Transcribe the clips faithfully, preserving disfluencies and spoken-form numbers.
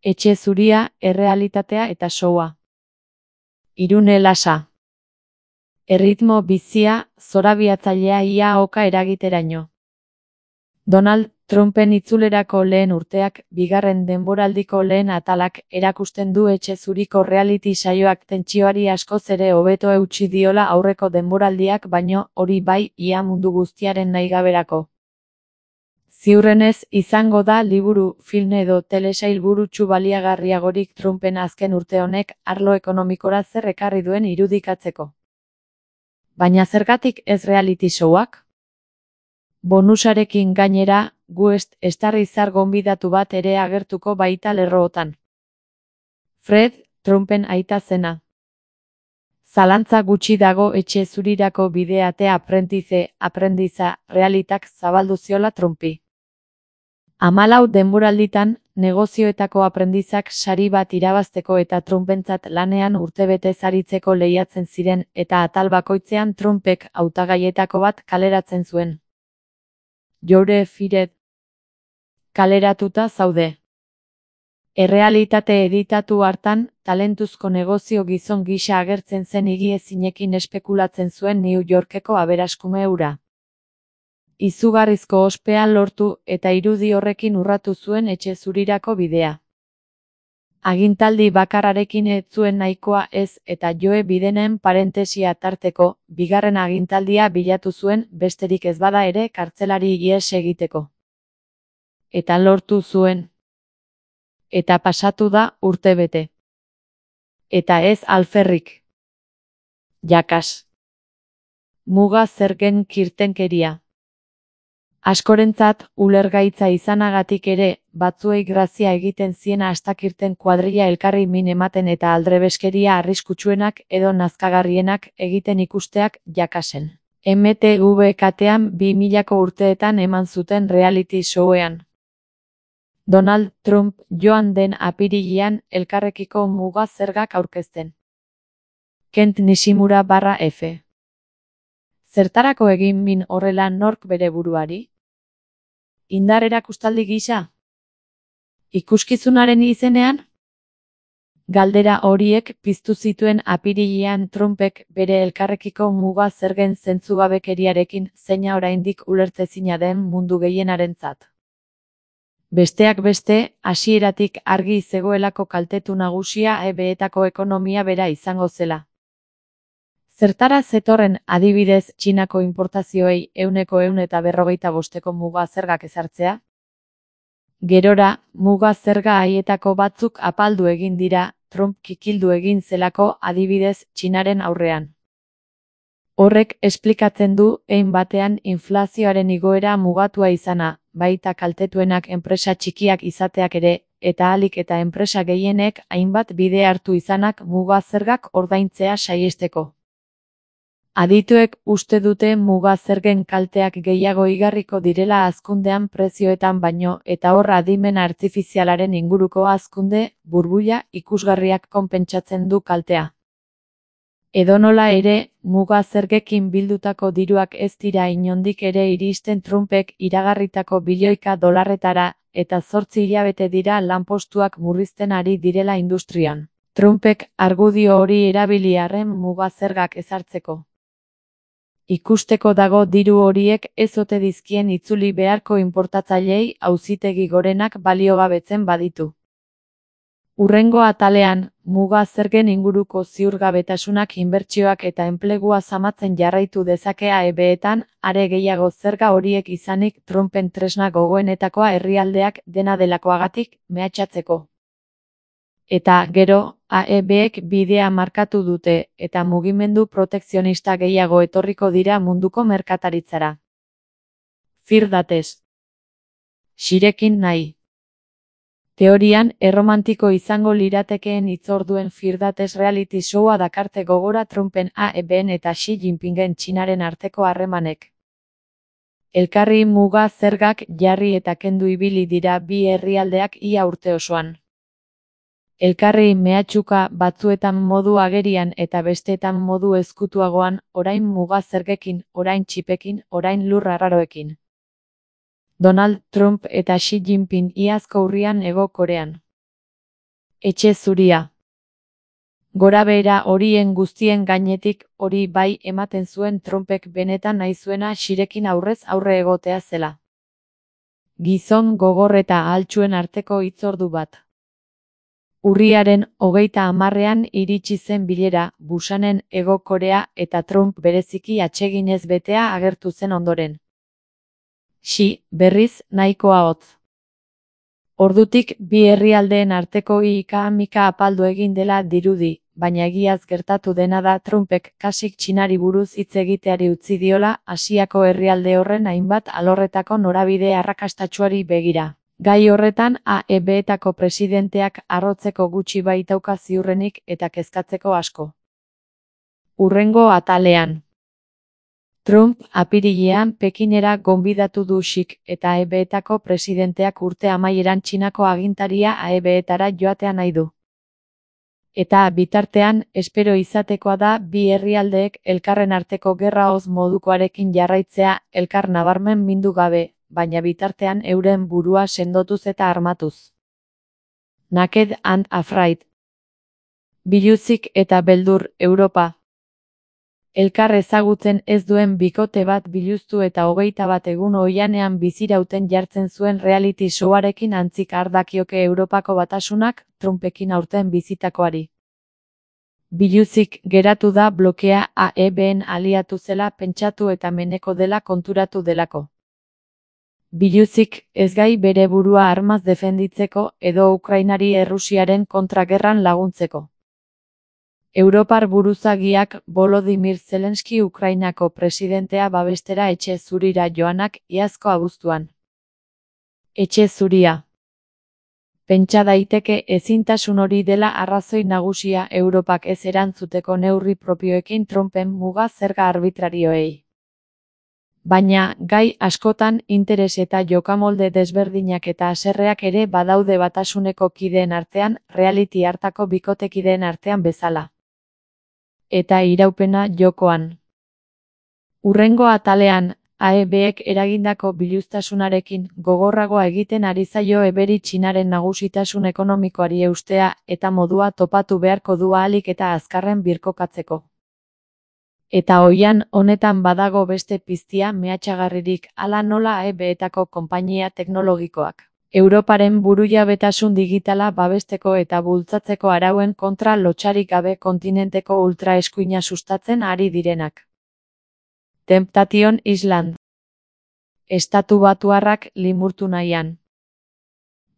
Etxe zuria, errealitatea eta showa. Irune lasa. Erritmo bizia, zorabiatzailea ia oka eragiteraino. Donald Trumpen itzulerako lehen urteak, bigarren denboraldiko lehen atalak, erakusten du etxe zuriko reality saioak tentsioari askoz ere hobeto eutsi diola aurreko denboraldiak baino, hori bai, ia mundu guztiaren nahigaberako. Ziurrenez, izango da liburu, film edo telesail burutsu baliagarriagorik Trumpen azken urte honek arlo ekonomikora zer ekarri duen irudikatzeko. Baina zergatik ez reality showak? Bonusarekin gainera, guest star izar gonbidatu bat ere agertuko baita lerrootan. Fred, Trumpen aita zena. Zalantza gutxi dago etxe zurirako bideatea aprendize, aprendiza, realitak zabaldu ziola Trumpi. Hamalau denboralditan, negozioetako aprendizak sari bat irabazteko eta Trumpentzat lanean urtebete zaritzeko lehiatzen ziren eta atal bakoitzean Trumpek hautagaietako bat kaleratzen zuen. Joure Fired. Kaleratuta zaude. Errealitate editatu hartan, talentuzko negozio gizon gisa agertzen zen higiezinekin espekulatzen zuen New Yorkeko aberaskume hura. Izugarrizko ospea lortu eta irudi horrekin urratu zuen etxe zurirako bidea. Agintaldi bakarrarekin ez zuen nahikoa ez eta Joe Bidenen parentesia tarteko, bigarren agintaldia bilatu zuen besterik ez bada ere kartzelari ihes egiteko. Eta lortu zuen. Eta pasatu da urtebete. Eta ez alferrik. Jakas. Muga zergen kirtenkeria. Askorentzat, ulergaitza izanagatik ere, batzuei grazia egiten ziena astakirten kuadrilla elkarri min ematen eta aldrebeskeria arriskutsuenak edo nazkagarrienak egiten ikusteak jakasen. M T V katean bi milako urteetan eman zuten reality showean. Donald Trump joan den apirilean elkarrekiko muga zergak aurkezten. Kent Nishimura barra F. Zertarako egin min horrela nork bere buruari? Indar erakustaldi gisa? Ikuskizunaren izenean? Galdera horiek piztu zituen apirilean Trumpek bere elkarrekiko muga zergen zentzugabekeriarekin zeina oraindik ulertezina den mundu gehienarentzat. Besteak beste, hasieratik argi zegoelako kaltetu nagusia E B-etako ekonomia bera izango zela. Zertara zetorren adibidez Txinako inportazioei ehuneko ehun eta berrogeita bosteko muga zergak ezartzea? Gerora, muga zerga haietako batzuk apaldu egin dira, Trump kikildu egin zelako adibidez Txinaren aurrean. Horrek esplikatzen du hein batean inflazioaren igoera mugatua izana, baita kaltetuenak enpresa txikiak izateak ere, eta ahalik eta enpresa gehienek hainbat bide hartu izanak muga zergak ordaintzea saihesteko. Adituek uste dute muga zergen kalteak gehiago igarriko direla hazkundean prezioetan baino eta hor adimen artifizialaren inguruko hazkunde, burbuila ikusgarriak konpentsatzen du kaltea. Edonola ere, muga zergekin bildutako diruak ez dira inondik ere iristen Trumpek iragarritako bilioika dolarretara eta zortzi hilabete dira lanpostuak murrizten ari direla industrian. Trumpek argudio hori erabili arren muga zergak ezartzeko. Ikusteko dago diru horiek ez ote dizkien itzuli beharko inportatzaileei auzitegi gorenak baliogabetzen baditu. Hurrengo atalean, muga zergen inguruko ziurgabetasunak inbertsioak eta enplegua zamatzen jarraitu dezakea E B-etan, are gehiago zerga horiek izanik Trumpen tresna gogoenetakoa herrialdeak dena delakoagatik mehatxatzeko. Eta, gero, A E B-ek bidea markatu dute, eta mugimendu protekzionista gehiago etorriko dira munduko merkataritzara. Firdates. Xirekin nahi. Teorian, erromantiko izango liratekeen hitzorduen Firdates reality showa dakarte gogora Trumpen A E B-en eta Xi Jinpingen Txinaren arteko harremanek. Elkarri muga zergak jarri eta kendu ibili dira bi herrialdeak ia urte osoan. Elkarri mehatxuka batzuetan modu agerian eta besteetan modu ezkutuagoan, orain muga zergekin, orain txipekin, orain lur arraroekin. Donald Trump eta Xi Jinping iazko urrian Hego Korean. Etxe zuria. Gorabehera horien guztien gainetik hori bai ematen zuen Trumpek benetan nahi zuena Xirekin aurrez aurre egotea zela. Gizon gogor eta ahaltsuen arteko hitzordu bat. Urriaren hogeita hamarrean iritsi zen bilera, Bushanen Hego Korea eta Trump bereziki atseginez betea agertu zen ondoren. Xi, berriz, nahikoa hotz. Ordutik bi herrialdeen arteko ika-mika apaldu egin dela dirudi, baina egiaz gertatu dena da Trumpek kasik Txinari buruz hitz egiteari utzi diola Asiako herrialde horren hainbat alorretako norabide arrakastatsuari begira. Gai horretan A E B-etako presidenteak harrotzeko gutxi baitauka ziurrenik eta kezkatzeko asko. Hurrengo atalean. Trump apirilean Pekinera gonbidatu du Xik eta A E B-etako presidenteak urte amaieran Txinako agintaria A E B-etara joatea nahi du. Eta bitartean, espero izatekoa da bi herrialdeek elkarren arteko gerra hoz modukoarekin jarraitzea elkar nabarmen mindu gabe, baina bitartean euren burua sendotuz eta armatuz. Naked and Afraid. Biluzik eta beldur, Europa. Elkar ezagutzen ez duen bikote bat biluztu eta hogeita bat egun oihanean bizirauten jartzen zuen reality showarekin antzik ardakioke Europako Batasunak Trumpekin aurten bizitakoari. Biluzik geratu da blokea A E B-en aliatu zela pentsatu eta meneko dela konturatu delako. Biluzik ez gai bere burua armaz defenditzeko edo Ukrainari Errusiaren kontragerran laguntzeko. Europar buruzagiak Volodymyr Zelenski Ukrainako presidentea babestera etxe zurira joanak iazko abuztuan. Etxe zuria. Pentsa daiteke ezintasun hori dela arrazoi nagusia Europak ez erantzuteko neurri propioekin Trumpen muga zerga arbitrarioei. Baina, gai askotan interes eta jokamolde desberdinak eta haserreak ere badaude Batasuneko kideen artean, reality hartako bikotekideen artean bezala. Eta iraupena jokoan. Hurrengo atalean, A E B-ek eragindako biluztasunarekin gogorragoa egiten ari zaio eberi Txinaren nagusitasun ekonomikoari eustea eta modua topatu beharko du ahalik eta azkarren birkokatzeko. Eta oihan honetan badago beste piztia mehatxagarririk hala nola A E B-etako konpainia teknologikoak. Europaren burujabetasun digitala babesteko eta bultzatzeko arauen kontra lotsarik gabe kontinenteko ultraeskuina sustatzen ari direnak. Temptation Island. Estatu Batuarrak limurtu nahian.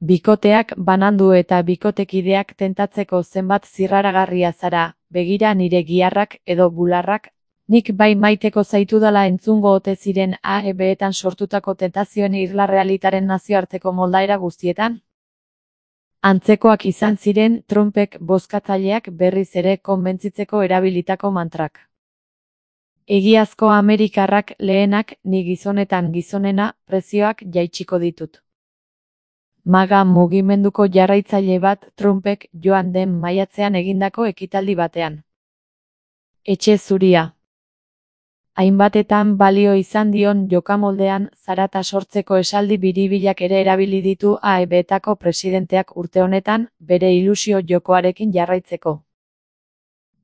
Bikoteak banandu eta bikotekideak tentatzeko zenbat zirraragarria zara, begira nire giharrak edo bularrak, nik bai maiteko zaitudala entzungo ote ziren A E B-etan sortutako tentazioen irla realitaren nazioarteko moldaera guztietan? Antzekoak izan ziren Trumpek bozkatzaileak berriz ere konbentzitzeko erabilitako mantrak. Egiazko Amerikarrak lehenak, ni gizonetan gizonena, prezioak jaitsiko ditut. Maga mugimenduko jarraitzaile bat Trumpek joan den maiatzean egindako ekitaldi batean. Etxe zuria. Hainbatetan balio izan dion jokamoldean zarata sortzeko esaldi biribilak ere erabili ditu A E B-etako presidenteak urte honetan, bere ilusio jokoarekin jarraitzeko.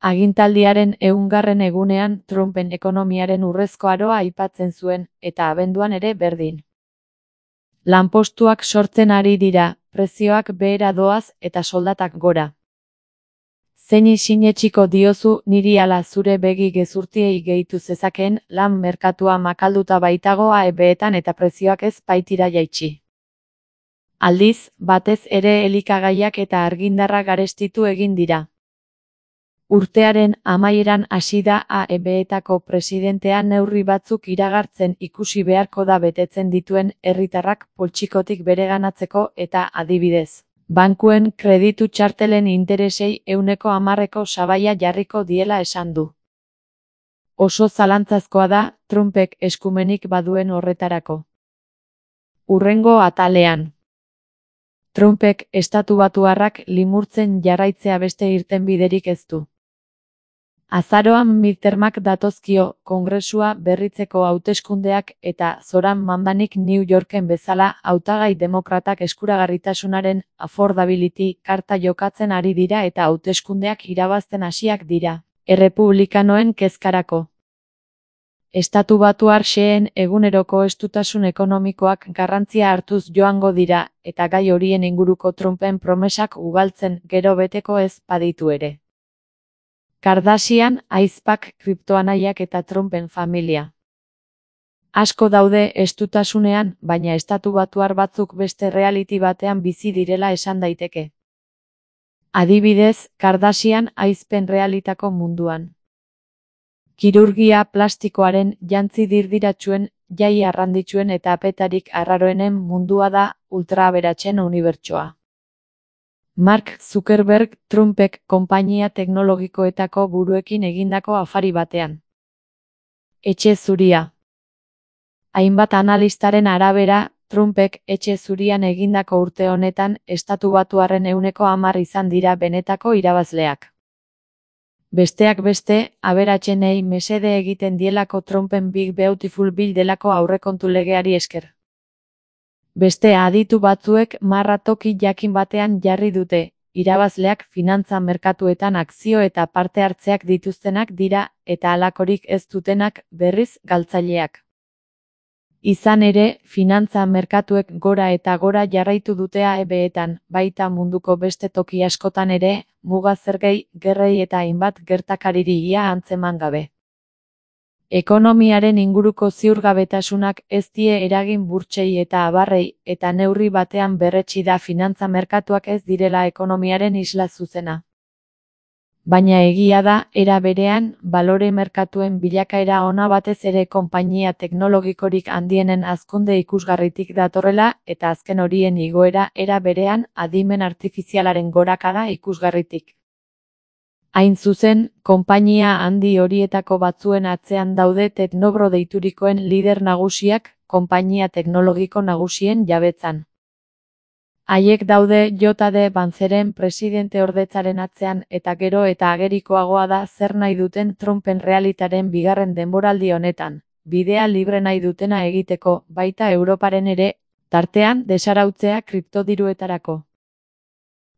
Agintaldiaren ehungarren egunean Trumpen ekonomiaren urrezko aroa aipatzen zuen, eta abenduan ere berdin. Lanpostuak sortzen ari dira, prezioak behera doaz eta soldatak gora. Zeini sinetsiko diozu niri ala zure begi gezurtiei gehitu zezakeen lan merkatua makalduta baitago A E B-etan eta prezioak ez baitira jaitsi. Aldiz, batez ere elikagaiak eta argindarra garestitu egin dira. Urtearen amaieran hasi da A E B-etako presidentea neurri batzuk iragartzen ikusi beharko da betetzen dituen herritarrak poltsikotik bereganatzeko eta adibidez. Bankuen kreditu txartelen interesei ehuneko hamarreko sabaia jarriko diela esan du. Oso zalantzazkoa da Trumpek eskumenik baduen horretarako. Hurrengo atalean. Trumpek Estatu Batuarrak limurtzen jarraitzea beste irtenbiderik ez du. Azaroan midtermak datozkio, kongresua berritzeko hauteskundeak eta Zoran Mandanik New Yorken bezala hautagai demokratak eskuragarritasunaren affordability karta jokatzen ari dira eta hauteskundeak irabazten hasiak dira, errepublikanoen kezkarako. Estatubatuar xeheen eguneroko estutasun ekonomikoak garrantzia hartuz joango dira, eta gai horien inguruko Trumpen promesak ugaltzen gero beteko ez baditu ere. Kardashian, ahizpak, kriptoanaiak eta Trumpen familia. Asko daude estutasunean, baina estatubatuar batzuk beste reality batean bizi direla esan daiteke. Adibidez, Kardashian ahizpen realitako munduan. Kirurgia plastikoaren, jantzi dirdiratsuen, jai arranditsuen eta apetarik arraroenen mundua da ultraaberatsen unibertsoa. Mark Zuckerberg Trumpek konpainia teknologikoetako buruekin egindako afari batean. Etxe zuria. Hainbat analistaren arabera, Trumpek etxe zurian egindako urte honetan estatubatuarren ehuneko hamar izan dira benetako irabazleak. Besteak beste, aberatsenei mesede egiten dielako Trumpen Big Beautiful Bill delako aurrekontu legeari esker. Beste aditu batzuek marra toki jakin batean jarri dute, irabazleak finantza merkatuetan akzio eta parte hartzeak dituztenak dira, eta halakorik ez dutenak, berriz, galtzaileak. Izan ere, finantza merkatuek gora eta gora jarraitu dute A E B-etan, baita munduko beste toki askotan ere, muga zergei, gerrei eta hainbat gertakariri ia antzeman gabe. Ekonomiaren inguruko ziurgabetasunak ez die eragin burtsei eta abarrei, eta neurri batean berretsi da finantza merkatuak ez direla ekonomiaren isla zuzena. Baina egia da, era berean, balore merkatuen bilakaera ona batez ere konpainia teknologikorik handienen hazkunde ikusgarritik datorrela, eta azken horien igoera era berean adimen artifizialaren gorakada ikusgarritik. Hain zuzen, konpainia handi horietako batzuen atzean daude Teknobro deiturikoen lider nagusiak, konpainia teknologiko nagusien jabetzan. Haiek daude J D Vanceren presidente ordetzaren atzean eta gero eta agerikoagoa da zer nahi duten Trumpen realitaren bigarren denboraldi honetan, bidea libre nahi dutena egiteko, baita Europaren ere, tartean desarautzea kriptodiruetarako.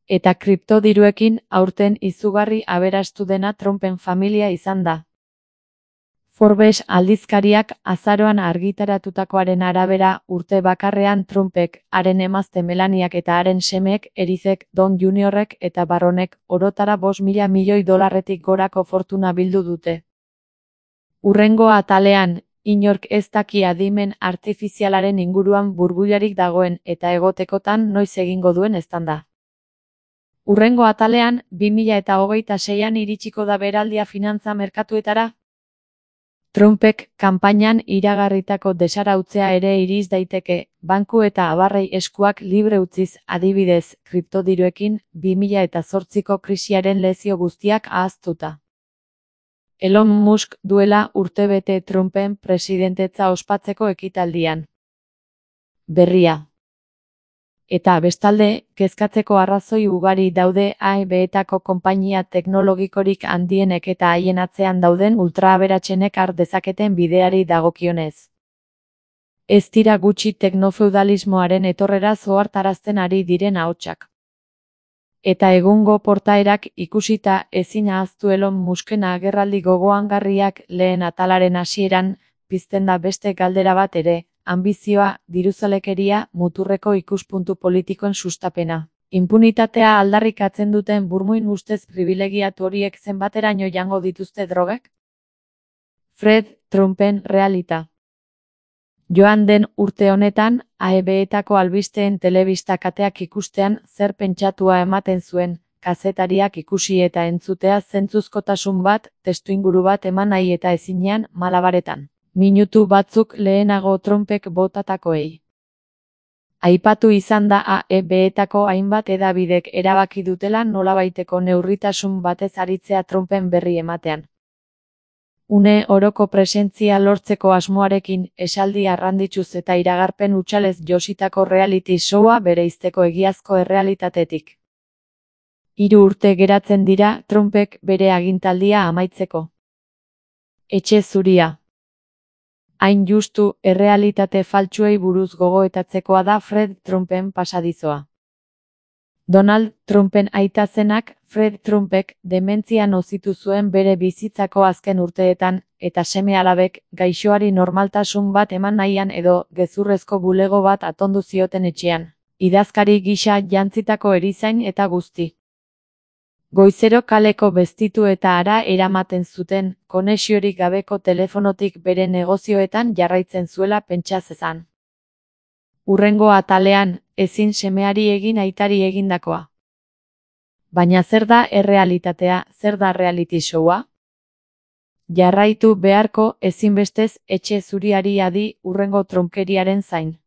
Eta kriptodiruekin aurten izugarri aberastu dena Trumpen familia izan da. Forbes aldizkariak azaroan argitaratutakoaren arabera urte bakarrean Trumpek, haren emazte Melaniak eta haren semeek, Erizek, Don Juniorrek eta Barronek orotara bost mila milioi dolarretik gorako fortuna bildu dute. Hurrengo atalean, inork ez daki adimen artifizialaren inguruan burbularik dagoen eta egotekotan noiz egingo duen eztanda. Hurrengo atalean, bi mila hogeita seian iritsiko da beraldia finantza merkatuetara. Trumpek kanpainan iragarritako desarautzea ere iriz daiteke, banku eta abarrei eskuak libre utziz, adibidez, kriptodiruekin, bi mila zortziko krisiaren lezio guztiak ahaztuta. Elon Musk duela urtebete Trumpen presidentetza ospatzeko ekitaldian. Berria. Eta bestalde, kezkatzeko arrazoi ugari daude A E B-etako konpainia teknologikorik handienek eta haien atzean dauden ultraaberatsenek har dezaketen bideari dagokionez. Ez dira gutxi teknofeudalismoaren etorrera zohartarazten ari diren ahotsak. Eta egungo portaerak ikusita ezin ahaztu Elon Musken agerraldi gogoangarriak lehen atalaren hasieran, pizten da beste galdera bat ere. Anbizioa, diruzalekeria, muturreko ikuspuntu politikoen sustapena. Inpunitatea aldarrikatzen duten burmuin ustez pribilegiatu horiek zenbateraino jango dituzte drogek? Fred Trumpen realita. Joan den urte honetan, A E B-etako albisteen telebista kateak ikustean zer pentsatua ematen zuen, kazetariak ikusi eta entzutea zentzuzkotasun bat, testuinguru bat eman nahi eta ezinean, malabaretan. Minutu batzuk lehenago Trumpek botatakoei. Aipatu izan da A E B-etako hainbat hedabidek erabaki dutela nolabaiteko neurritasun batez aritzea Trumpen berri ematean. Une oroko presentzia lortzeko asmoarekin, esaldi arranditsuz eta iragarpen hutsalez jositako reality showa bereizteko egiazko errealitatetik. Hiru urte geratzen dira Trumpek bere agintaldia amaitzeko. Etxe zuria. Hain justu, errealitate faltsuei buruz gogoetatzekoa da Fred Trumpen pasadizoa. Donald Trumpen aita zenak, Fred Trumpek, dementzia nozitu zuen bere bizitzako azken urteetan, eta seme-alabek, gaixoari normaltasun bat eman nahian edo, gezurrezko bulego bat atondu zioten etxean. Idazkari gisa jantzitako erizain eta guzti. Goizero kaleko bestitu eta hara eramaten zuten, konexiorik gabeko telefonotik bere negozioetan jarraitzen zuela pentsa zezan. Hurrengo atalean, ezin semeari egin aitari egindakoa. Baina zer da errealitatea, zer da reality showa? Jarraitu beharko ezinbestez etxe zuriari adi hurrengo trunkeriaren zain.